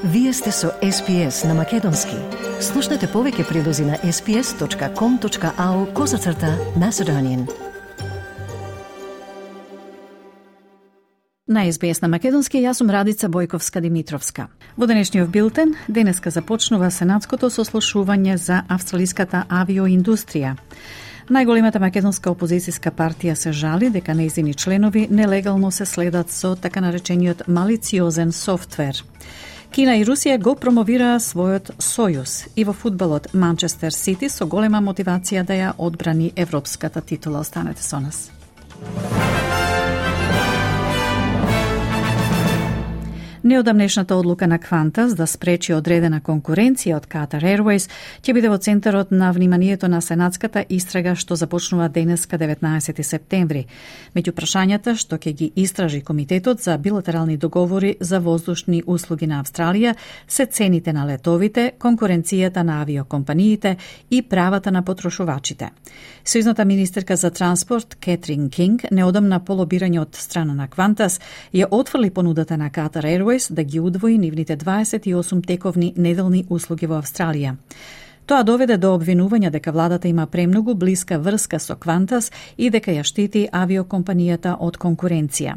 Вие сте со SPS на Македонски. Слушнете повеќе прилози на sps.com.au/Macedonian. На SBS на Македонски, јас сум Радица Бојковска-Димитровска. Во денешниот билтен, денеска започнува Сенатското сослушување за австралиската авиоиндустрија. Најголемата македонска опозицијска партија се жали дека нејзини членови нелегално се следат со така наречениот малициозен софтвер. Кина и Русија го промовираа својот сојуз и во фудбалот Манчестер Сити со голема мотивација да ја одбрани европската титула. Останете со нас. Неодамнешната одлука на Qantas да спречи одредена конкуренција од Qatar Airways ќе биде во центарот на вниманието на сенатската истрага што започнува денеска 19 септември. Меѓу прашањата што ќе ги истражи Комитетот за билатерални договори за воздушни услуги на Австралија се цените на летовите, конкуренцијата на авиокомпаниите и правата на потрошувачите. Сојузната министерка за транспорт Кетрин Кинг неодамна по лобирање од страна на Qantas ја отфрли понудата на Qatar Airways да ги удвои нивните 28 тековни неделни услуги во Австралија. Тоа доведе до обвинување дека владата има премногу блиска врска со Qantas и дека ја штити авиокомпанијата од конкуренција.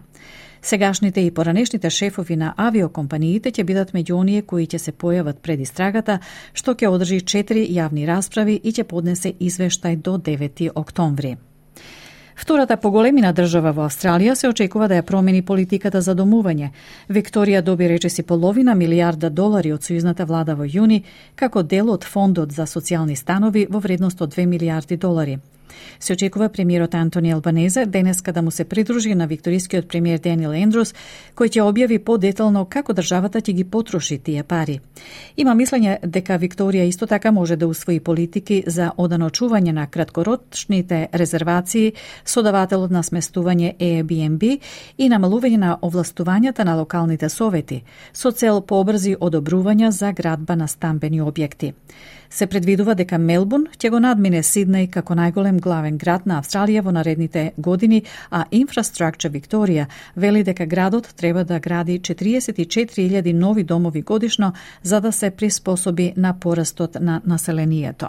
Сегашните и поранешните шефови на авиокомпаниите ќе бидат меѓу оние кои ќе се појават пред истрагата, што ќе одржи 4 јавни расправи и ќе поднесе извештај до 9 октомври. Втората поголемина држава во Австралија се очекува да ја промени политиката за домување. Викторија доби речиси $0,5 милијарда од сојузната влада во јуни, како дел од фондот за социјални станови во вредност од $2 милијарди. Се очекува премиерот Антони Албанезе денеска да му се придружи на викторискиот премиер Даниел Ендрус, кој ќе објави подетално како државата ќе ги потроши тие пари. Има мислење дека Викторија исто така може да усвои политики за оданочување на краткорочните резервации со давателот на сместување Airbnb и намалување на овластувањата на локалните совети, со цел побрзи одобрувања за градба на стамбени објекти. Се предвидува дека Мелбурн ќе го надмине Сиднеј како најголем главен град на Австралија во наредните години, а Infrastructure Викторија вели дека градот треба да гради 44.000 нови домови годишно за да се приспособи на порастот на населението.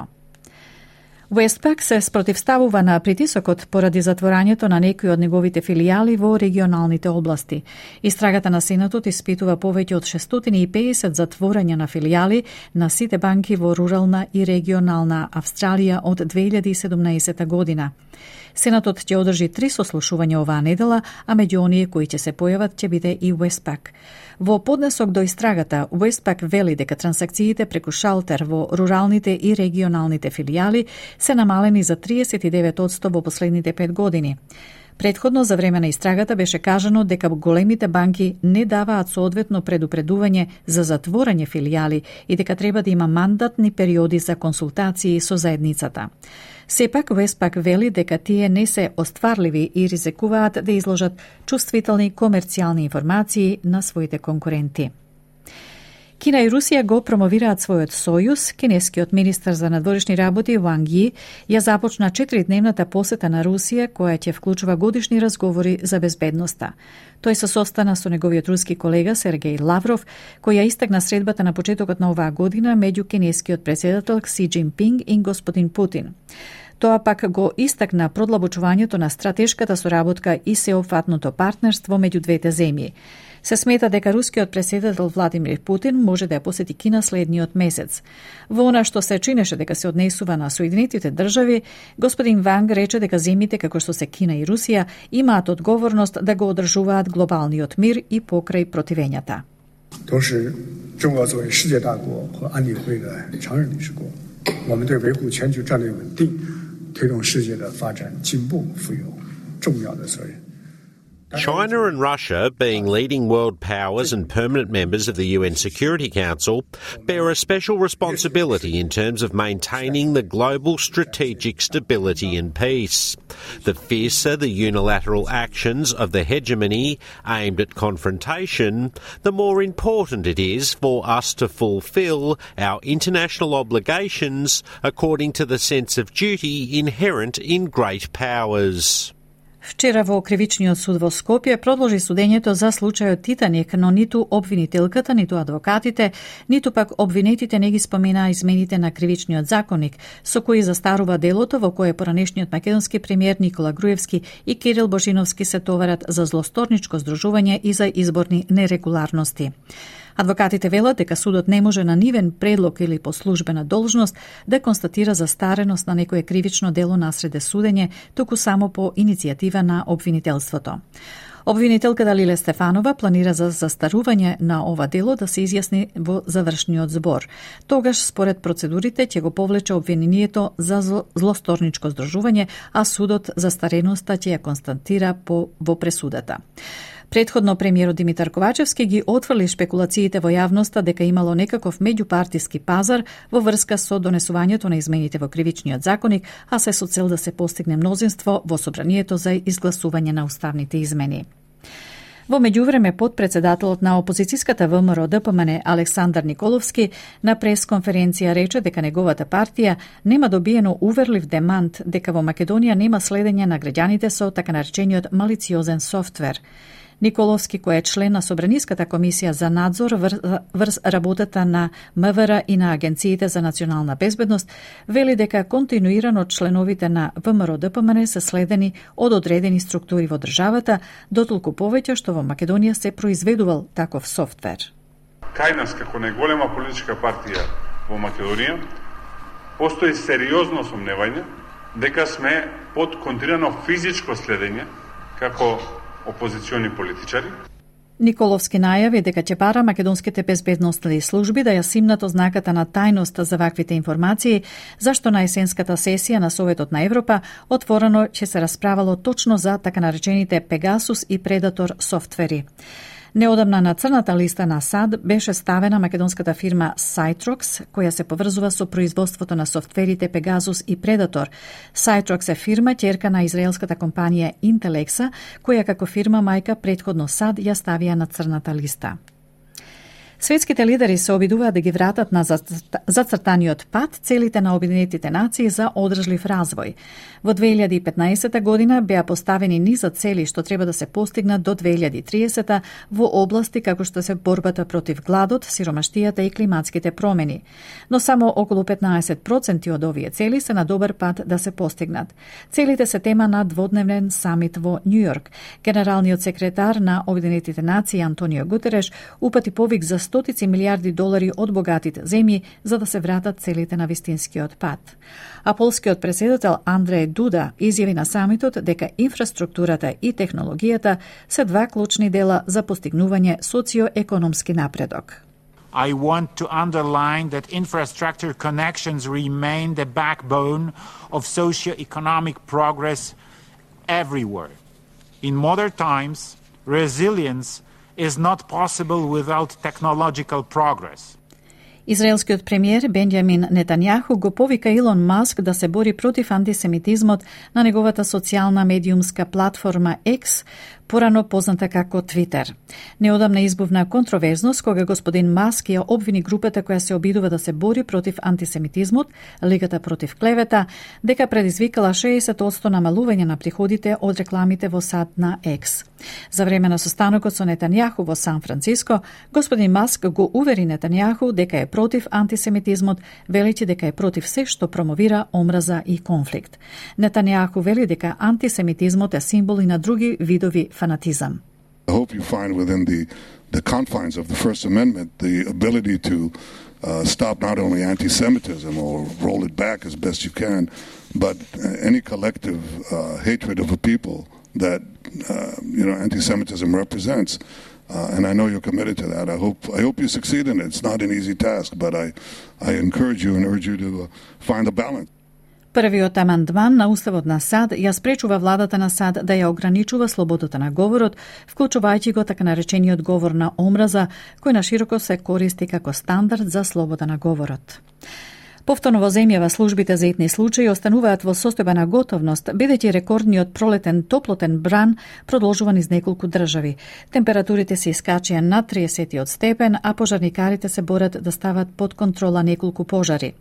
Westpac се спротивставува на притисокот поради затворањето на некои од неговите филијали во регионалните области. Истрагата на Сенатот испитува повеќе од 650 затворања на филијали на сите банки во рурална и регионална Австралија од 2017 година. Сенатот ќе одржи 3 сослушувања оваа недела, а меѓу оние кои ќе се појават ќе биде и Westpac. Во поднесок до истрагата, Westpac вели дека трансакциите преку шалтер во руралните и регионалните филијали се намалени за 39% во последните 5 години. Предходно за време на истрагата беше кажано дека големите банки не даваат соодветно предупредување за затворање филијали и дека треба да има мандатни периоди за консултации со заедницата. Сепак, Westpac вели дека тие не се остварливи и ризикуваат да изложат чувствителни комерцијални информации на своите конкуренти. Кина и Русија го промовираат својот сојуз. Кинескиот министар за надворешни работи Ванг Ји ја започна 4-дневната посета на Русија, која ќе вклучува годишни разговори за безбедноста. Тој се состана со неговиот руски колега Сергеј Лавров, кој ја истакна средбата на почетокот на оваа година меѓу кинескиот претседател Кси Џинпинг и господин Путин. Тоа пак го истакна продлабочувањето на стратешката соработка и сеопфатното партнерство меѓу двете земји. Се смета дека рускиот претседател Владимир Путин може да ја посети Кина следниот месец. Во она што се чинеше дека се однесува на Соединетите држави, господин Ванг рече дека земјите како што се Кина и Русија имаат одговорност да го одржуваат глобалниот мир и покрај противењата. 都是中俄作为世界大国和安理会的常任理事国，我们对维护全球战略稳定、推动世界的发展进步负有重要的责任。 China and Russia, being leading world powers and permanent members of the UN Security Council, bear a special responsibility in terms of maintaining the global strategic stability and peace. The fiercer the unilateral actions of the hegemony aimed at confrontation, the more important it is for us to fulfil our international obligations according to the sense of duty inherent in great powers. Вчера во Кривичниот суд во Скопје продолжи судењето за случајот Титаник, но ниту обвинителката, ниту адвокатите, ниту пак обвинетите не ги споменаа измените на Кривичниот законник, со кои застарува делото во кое поранешниот македонски премиер Никола Груевски и Кирил Божиновски се товарат за злосторничко здружување и за изборни нерегуларности. Адвокатите велат дека судот не може на нивен предлог или по службена должност да констатира застареност на некое кривично дело насреде судење, туку само по иницијатива на обвинителството. Обвинителката Лиле Стефанова планира за застарување на ова дело да се изјасни во завршниот збор. Тогаш, според процедурите, ќе го повлече обвинението за злосторничко здружување, а судот застареноста ќе ја констатира во пресудата. Предходно премиерот Димитар Ковачевски ги отфрли шпекулациите во јавноста дека имало некаков меѓупартиски пазар во врска со донесувањето на измените во Кривичниот законник, а се со цел да се постигне мнозинство во собранието за изгласување на уставните измени. Во меѓувреме, подпредседателот на опозицијската ВМРО ДПМН Александар Николовски на пресконференција рече дека неговата партија нема добиено уверлив демант дека во Македонија нема следење на граѓаните со така наречениот малициозен софтвер. Николовски, кој е член на Собраниската комисија за надзор врз работата на МВР и на агенциите за национална безбедност, вели дека континуирано членовите на ВМРО ДПМН се следени од одредени структури во државата, дотолку повеќе што во Македонија се произведувал таков софтвер. Кај нас, како најголема политичка партија во Македонија, постои сериозно сомневање дека сме под континуирано физичко следење како опозициони политичари. Николовски најави дека ќе бара македонските безбедностни служби да ја симнат ознаката на тајност за ваквите информации, зашто на есенската сесија на Советот на Европа отворено ќе се расправало точно за така наречените Пегасус и Предатор софтвери. Неодамна на црната листа на САД беше ставена македонската фирма Cytrox, која се поврзува со производството на софтверите Pegasus и Predator. Cytrox е фирма ќерка на израелската компанија Intelexa, која како фирма мајка предходно САД ја ставија на црната листа. Светските лидери се обидуваат да ги вратат на зацртаниот пат целите на Обединетите нации за одржлив развој. Во 2015 година беа поставени низа цели што треба да се постигнат до 2030 во области како што се борбата против гладот, сиромаштијата и климатските промени. Но само околу 15% од овие цели се на добар пат да се постигнат. Целите се тема на дводневен самит во Њујорк. Генералниот секретар на Обединетите нации Антонио Гутереш упати повик за стотици милиарди долари од богатите земји за да се вратат целите на вистинскиот пат. А полскиот претседател Андреј Дуда изјави на самитот дека инфраструктурата и технологијата се два клучни дела за постигнување социоекономски напредок. I want to underline that infrastructure connections remain the backbone of socio-economic progress everywhere. In modern times, resilience is not possible without technological progress. Израелскиот премиер Бенјамин Нетањаху го повика Илон Маск да се бори против антисемитизмот на неговата социјална медиумска платформа X, порано позната како Твитер. Неодамна избувна контроверзност кога господин Маск ја обвини групата која се обидува да се бори против антисемитизмот, Лигата против клевета, дека предизвикала 60% намалување на приходите од рекламите во САД на X. За време на состанокот со Нетањаху во Сан Франциско, господин Маск го увери Нетањаху дека е против антисемитизмот, велејќи дека е против се што промовира омраза и конфликт. Нетањаху вели дека антисемитизмот е символ и на други видови fanatizam. I hope you find within the confines of the First Amendment the ability to stop not only anti-Semitism or roll it back as best you can, but any collective hatred of a people that anti-Semitism represents. And I know you're committed to that. I hope you succeed in it. It's not an easy task, but I encourage you and urge you to find a balance. Првиот амандман на Уставот на САД ја спречува владата на САД да ја ограничува слободата на говорот, вклучувајќи го така наречениот говор на омраза, кој нашироко се користи како стандард за слобода на говорот. Повторно во земјава службите за итни случаи остануваат во состојба на готовност, бидејќи рекордниот пролетен топлотен бран продолжува низ неколку држави. Температурите се искачија над 30 степен, а пожарникарите се борат да стават под контрола неколку пожари.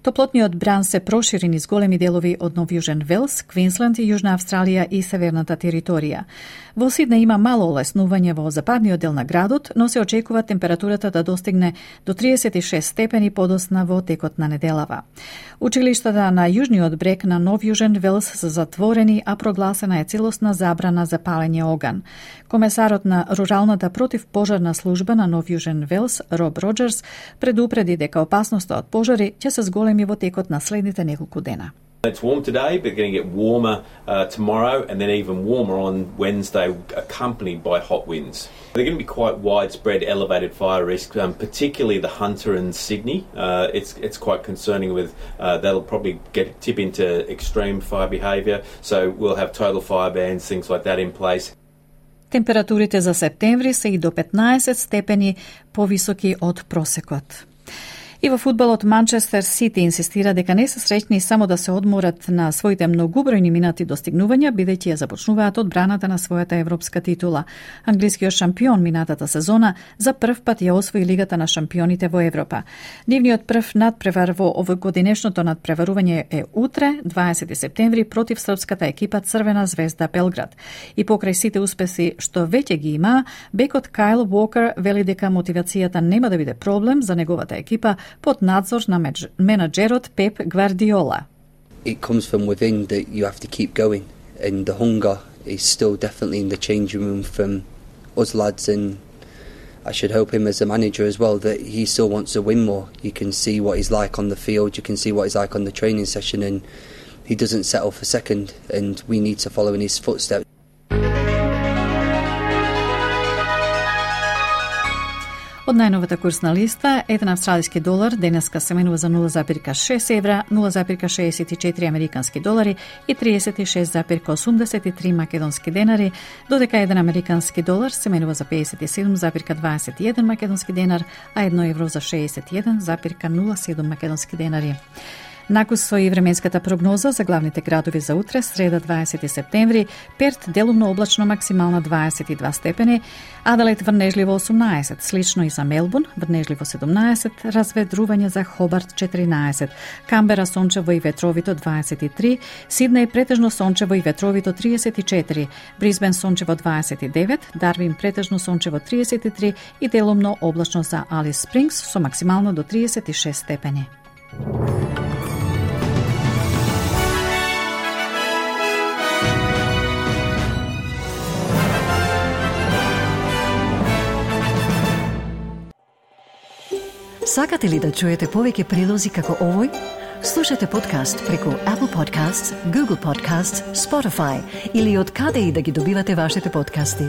Топлотниот бран се прошири низ големи делови од Нов Јужен Велс, Квинсленд, Јужна Австралија и Северната територија. Во Сиднеј има мало олеснување во западниот дел на градот, но се очекува температурата да достигне до 36 степени подосна во текот на неделава. Училиштата на јужниот брег на Нов Јужен Велс се затворени, а прогласена е целосна забрана за палење оган. Комесарот на Руралната противпожарна служба на Нов Јужен Велс, Роб Роджерс, предупреди дека опасноста од пожари ќе се зголеми во текот на следните неколку дена. It's warm today, but going to get warmer tomorrow and then even warmer on Wednesday, accompanied by hot winds. They're going to be quite widespread elevated fire risk, particularly the Hunter and Sydney. It's quite concerning with that'll probably tip into extreme fire behaviour, so we'll have total fire bans, things like that in place. Температурите за септември се и до 15 степени повисоки од просекот. И во фудбалот Манчестер Сити инсистира дека не се среќни само да се одморат на своите многубројни минати достигнувања, бидејќи ја започнуваат одбраната на својата европска титула. Англискиот шампион минатата сезона за прв пат ја освои Лигата на шампионите во Европа. Нивниот прв надпревар во овогодинешното надпреварување е утре, 20 септември, против српската екипа Црвена звезда Белград. И покрај сите успеси што веќе ги има, бекот Кайл Уокер вели дека мотивацијата нема да биде проблем за неговата екипа под надзор на менаџерот Пеп Гвардиола. It comes from within that you have to keep going, and the hunger is still definitely in the changing room from us lads, and I should hope him as a manager as well that he still wants to win more. You can see what he's like on the field, you can see what he's like on the training session, and he doesn't settle for second, and we need to follow in his footsteps. Од најновата курсна листа, еден австралиски долар денеска се менува за 0,6 евра, 0,64 американски долари и 36,83 македонски денари, додека еден американски долар се менува за 57,21 македонски денар, а 1 евро за 61,07 македонски денари. Накус со и временската прогноза за главните градови за утре, среда 20 септември, Перт делумно облачно максимална 22 степени, Аделаид врнежливо 18, слично и за Мелбурн, врнежливо 17, разведрување за Хобарт 14, Камбера сончево и ветровито 23, Сиднеј претежно сончево и ветровито 34, Брисбен сончево 29, Дарвин претежно сончево 33 и делумно облачно за Алис Спрингс со максимално до 36 степени. Сакате ли да чуете повеќе прилози како овој? Слушате подкаст преку Apple Podcasts, Google Podcasts, Spotify или од каде и да ги добивате вашите подкасти.